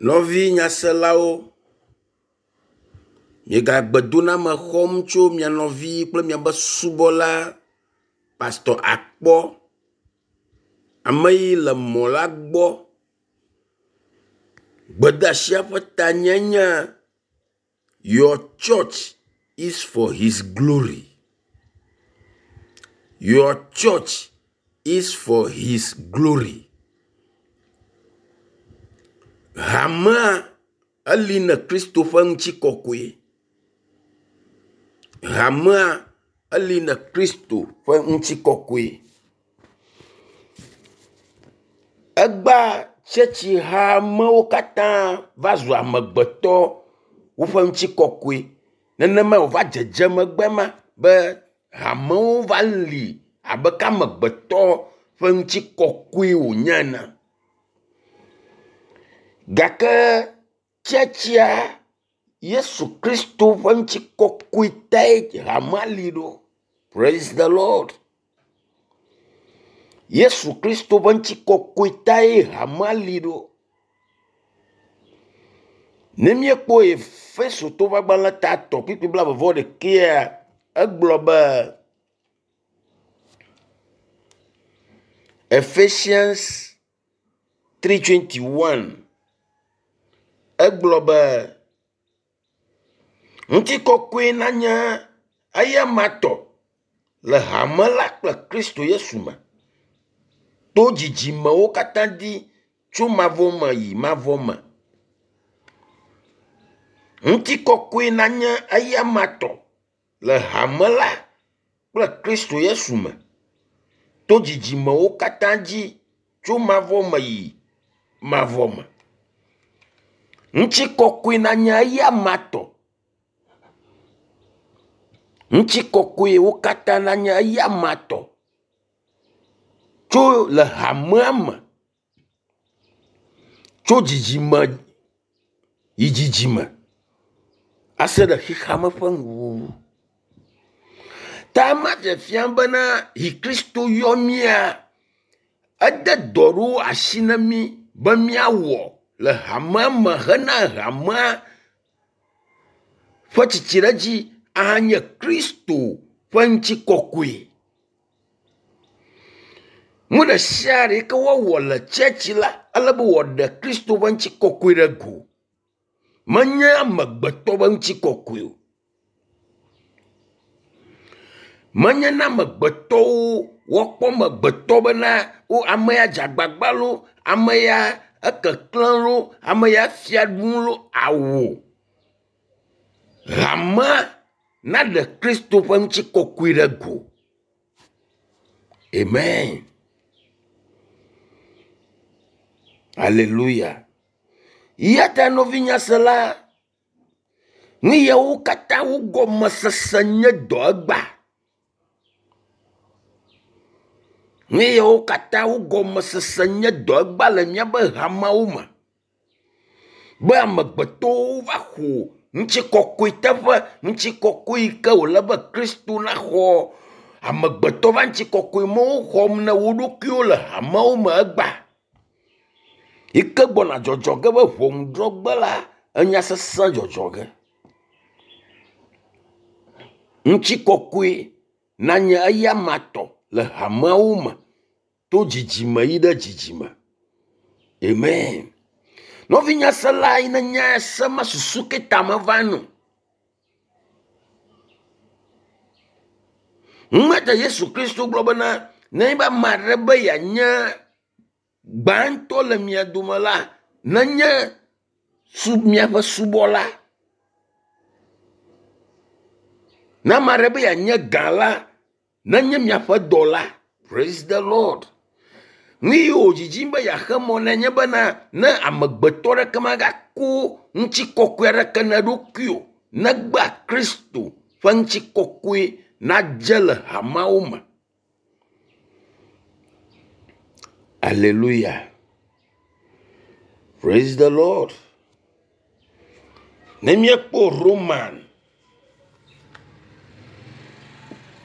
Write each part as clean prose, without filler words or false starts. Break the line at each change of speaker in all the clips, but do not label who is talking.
Nɔvi nyaselawo, miegagbedoname xɔm tso mia nɔvi kple miaƒe subɔla Pastor Akpɔ. Ame yi le mɔ la gbɔ. Gbedeasia ƒe tanye nye “Your church is for his glory. Your church is for his glory.” Hamea eli ne Kristo ƒe ŋutikɔkɔe. Hamea eli ne Kristo ƒe ŋutikɔkɔe. Egbea tsɛtsihamewo katã va zu amegbetɔ woƒe ŋutikɔkɔe. Nenema wòva dzedzem egbe ma be hamewo va li abe ke amegbetɔ ƒe ŋutikɔkɔe wònye ene. Gake tsɛtsia Yesu Kristo ƒe ŋutikɔkɔe tae hamea li ɖo. Praise the Lord. Yesu Kristo ƒe ŋutikɔkɔe tae hamea li ɖo. Ne míekpɔ Efesotɔwo ƒe agbalẽ ta 3 kpukpui 21, egblɔ be Ephesians 3:21 egblɔ be ŋutikɔkɔe nanye eyama tɔ le hame la kple Kristo Yesu me to dzidzimewo katã dzi tso mavɔ me yi mavɔ me. Ŋutikɔkɔe nanye eyama tɔ le hame la kple Kristo Yesu me to dzidzimewo katã dzi tso mavɔ me yi mavɔ me. Ŋutikɔkɔe nanye eyama tɔ. Ŋutikɔkɔewo katã nanye eyama tɔ tso le hamea me tso dzidzime yi dzidzime ase ɖe xexeame ƒe nuwuwu. Ta ema dze fia bena yi Kristo yɔ mía, ede dɔ ɖewo asi na mí be míawɔ le hamea me hena hamea ƒe tsitsiɖedzi ahanye Kristo ƒe ŋutikɔkɔe. Nu ɖe sia ɖe yi ke woawɔ le tsɛtsi la, ele be wòaɖe Kristo ƒe ŋutikɔkɔe ɖe go. Menye amegbetɔ ƒe ŋutikɔkɔe o. Menye na amegbetɔwo woakpɔ amegbetɔ bena wo ame ya dze agbagba loo, ame ya ekeklẽ loo, ame ya fia ɖum loo awo. Hamea naɖe Kristo ƒe ŋutikɔkɔe ɖe go. Amen. Hallelujah. Ya ta nɔvinyasela, nu yawo katã wo gɔmesese nye dɔ egba. Nu yawo katã wo gɔmesese nye dɔ egba le míaƒe hameawo me. Be amegbetɔwo va xɔ ŋutikɔkɔe teƒe, ŋutikɔkɔe yi ke wòle be Kristo naxɔ. Amegbetɔ va ŋutikɔkɔe me woxɔm na wo ɖokuiwo le hameawo me egba. Yi ke gbɔna dzɔdzɔ ge be ʋɔnudrɔ̃gbe la, enya sesẽ dzɔdzɔ ge. Ŋutikɔkɔe nanye eyama tɔ le hameawo me to dzidzime yi ɖe dzidzime. Amen. Nɔvinyasela yi ne nya se ma susu ke ta meva no. Ŋmete Yesu Kristo gblɔ bena ne be ame aɖe be yeanye gbãtɔ le mia dome la, nenye su miaƒe subɔla. Ne ame aɖe be yeanye gã la, nenye miaƒe dɔla. Praise the Lord. Nu yi wòdzidzim be yeaxe mɔ nɛ nye bena ne amegbetɔ ɖeke magako ŋutikɔkɔe aɖeke na eɖokui o, negbe Kristo ƒe ŋutikɔkɔe nadze le hameawo me. Hallelujah. Praise the Lord. Ne míekpɔ Roman,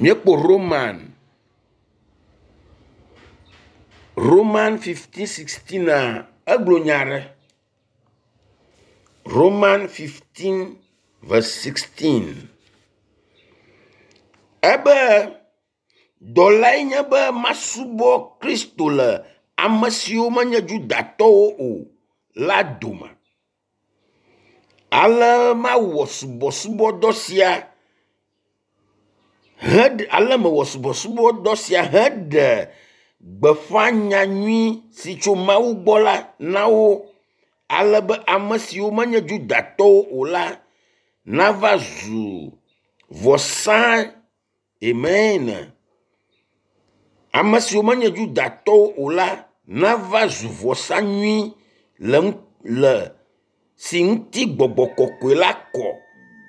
míekpɔ Roman, Roman 15:16 a egblɔ nya aɖe. Roman 15 verse 16. Ebe dɔlae nye be masubɔ Kristo le ame siwo menye Yudatɔwo o la dome. Ale mawɔ subɔsubɔdɔ sia heɖe ale mewɔ subɔsubɔdɔ sia heɖe gbeƒã nyanyui si tso Mawu gbɔ la na wo ale be ame siwo menye Yudatɔwo o la nava zu vɔsa amen. Ame siwo menye Yudatɔwo o la nava zu vɔsa nyui le le si ŋuti gbɔgbɔ kɔkɔe la kɔ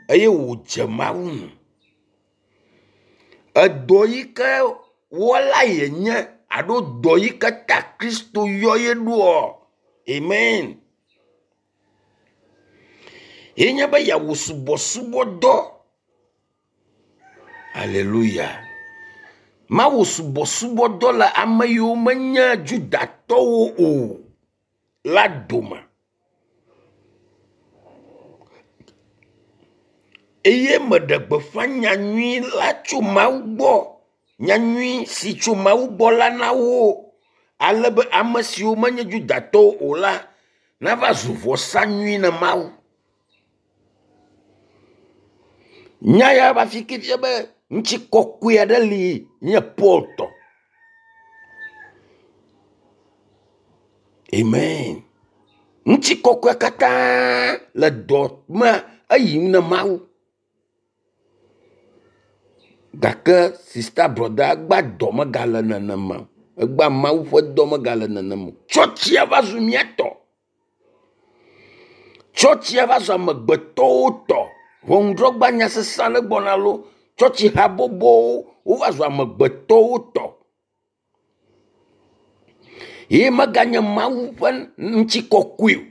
eye wòdze Mawu ŋu. Edɔ yi ke wɔla yenye alo dɔ yi ke ta Kristo yɔ ye ɖoa amen. Ye nye be yeawɔ subɔsubɔdɔ. Aleluya. Mawu subɔsubɔdɔ le ame yiwo menye Judatɔwo o la dome. Eye meɖe gbeƒã nyanyui la tso Mawu gbɔ. Nyanyui si tso Mawu gbɔ la na wo ale be ame siwo menye Judatɔwo o la nava zu vɔsa nyui na Mawu. Nya ya va fi ke fia be ŋutikɔkɔe aɖe li nye Paul tɔ. Amen. Ŋutikɔkɔe katã le dɔ me eyim na Mawu. Gake sista brɔda egba dɔ megale nenema o. Egba Mawu ƒe dɔ megale nenema o. Tsɔtsia va zu mía tɔ. Tsɔtsia va zu amegbetɔwo tɔ. Ʋɔnudrɔ̃gba nya sesẽ aɖe gbɔna lo. Tsɔtsi habɔbɔwo wova zu amegbetɔwo tɔ. Ye meganye Mawu ƒe ŋutikɔkɔe o.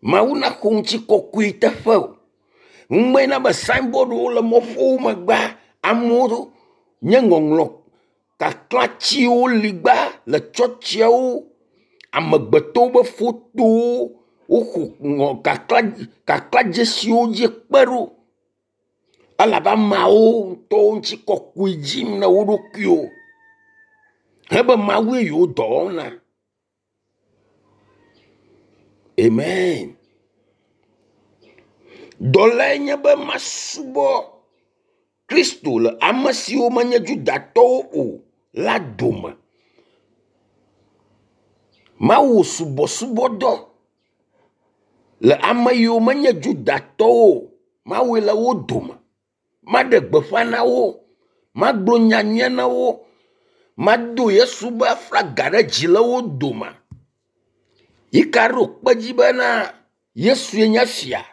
Mawu naxɔ ŋutikɔkɔe teƒe o. Ŋumee na be signboardwo le mɔƒowo megbea amewo nye ŋɔŋlɔ kaklãtsiwo li gba le tsɔtsiawo amegbetɔwo ƒe fotowo woxɔ ŋɔ kaklãdzesiwo dzi kpe ɖo elabe ameawo ŋutɔwo ŋutikɔkɔe dzim na wo ɖokuiwo hebe Mawue yewo dɔ wɔm na. Amen. Dɔlae nye be masubɔ Kristo le ame siwo menye Judatɔwo o la dome. Mawu subɔsubɔdɔ le ame yiwo menye Judatɔwo o, Mawue le wo dome. Maɖe gbeƒã na wo, magblɔ nyanyuia na wo, mado Yesu ƒe aflaga ɖe dzi le wo dome. Yi ka ɖo kpe dzi bena Yesue nye fia.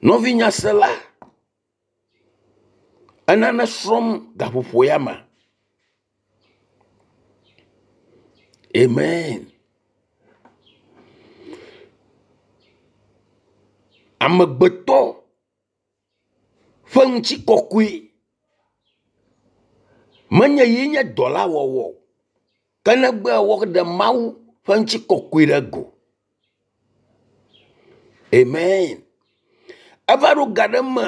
Nɔvi nyasela, enane srɔ̃m gaƒoƒo ya me. Amen. Amegbetɔ ƒe ŋutikɔkɔe menye ye nye dɔla wɔwɔ o, ke negbe woɖe Mawu ƒe ŋutikɔkɔe ɖe go. Amen. Eva ɖo ga ɖe me,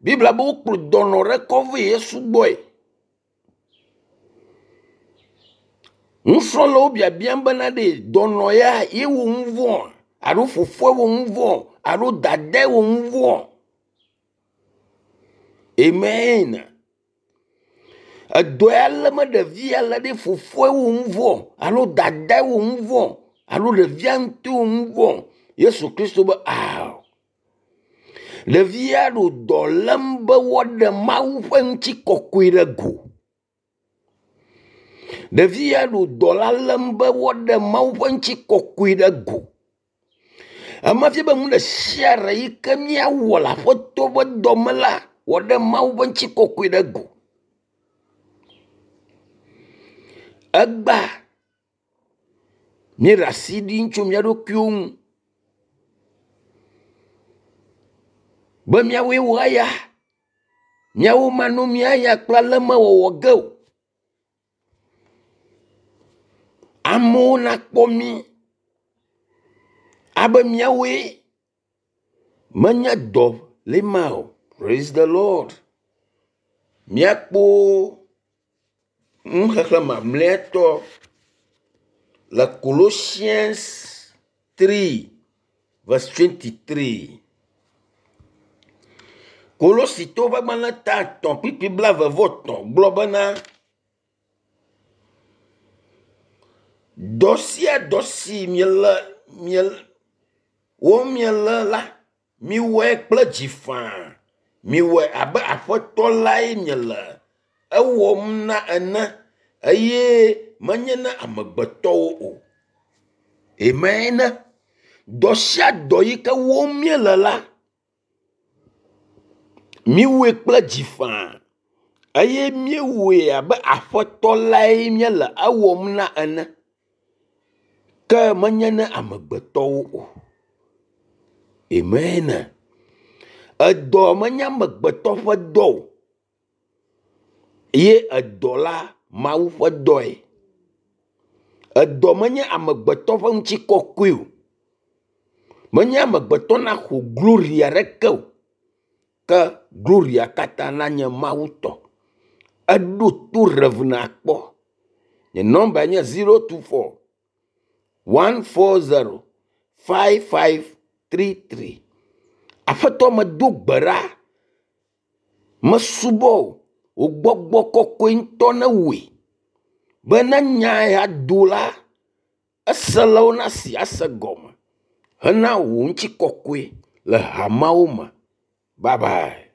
Biblia be wokplɔ dɔnɔ ɖe kɔ vɛ Yesu gbɔe. Nusrɔ̃lawo biabiam bena ɖe dɔnɔ ya ye wɔ nu vɔ̃ alo fofoa wɔ nu vɔ̃ alo dadae wɔ nu vɔ̃. Amen. Edɔ ya lé me ɖevi ya lé ɖe fofoa wɔ nu vɔ̃ alo dadae wɔ nu vɔ̃ alo ɖevia ŋutɔ wɔ nu vɔ̃. Yesu Kristo be ao. Ɖevia ɖo dɔ lém be woaɖe Mawu ƒe ŋutikɔkɔe ɖe go. Ɖevia ɖo dɔ la lém be woaɖe Mawu ƒe ŋutikɔkɔe ɖe go. Ema fia be nu ɖe sia ɖe yi ke míawɔ le Aƒetɔ ƒe dɔme la, wòaɖe Mawu ƒe ŋutikɔkɔe ɖe go. Egba míeɖe asi ɖim tso mía ɖokuiwo ŋu be míawoe wɔ eya, míawo manɔ mía ya kple ale mewɔwɔ ge o. Amewo nakpɔ mí. Abe míawoe menye dɔ li ma o. Praise the Lord. Míakpɔ nuxexlẽ mamlɛtɔ le Colossians 3 verse 23. Kolositɔwo ƒe agbalẽ ta 3 kpukpui 23 gblɔ bena dɔ sia dɔ si miele miele wɔm miele la, miwɔe kple dzi faa. Miwɔe abe Aƒetɔ lae miele ewɔm na ene eye menye na amegbetɔwo o. Amen. Dɔ sia dɔ yi ke wɔm míele la, míwɔe kple dzi faa eye míewɔe abe Aƒetɔ lae míele ewɔm na ene ke menye na amegbetɔwo o. Amen. Edɔ menye amegbetɔ ƒe dɔ o ye edɔ la Mawu ƒe dɔe. Edɔ menye amegbetɔ ƒe ŋutikɔkɔe o. Menye amegbetɔ naxɔ glory aɖeke o ke gloria katã nanye Mawu tɔ. Eɖo to Rev nakpɔ. Nye nɔmba nye 024 140 5533. Aƒetɔ medo gbe ɖa. Mesubɔ wò. Wò gbɔgbɔ kɔkɔe ŋutɔ newɔe be ne nya ya do la, eselawo nasi ase gɔme hena wò ŋutikɔkɔe le hameawo me. Bye bye.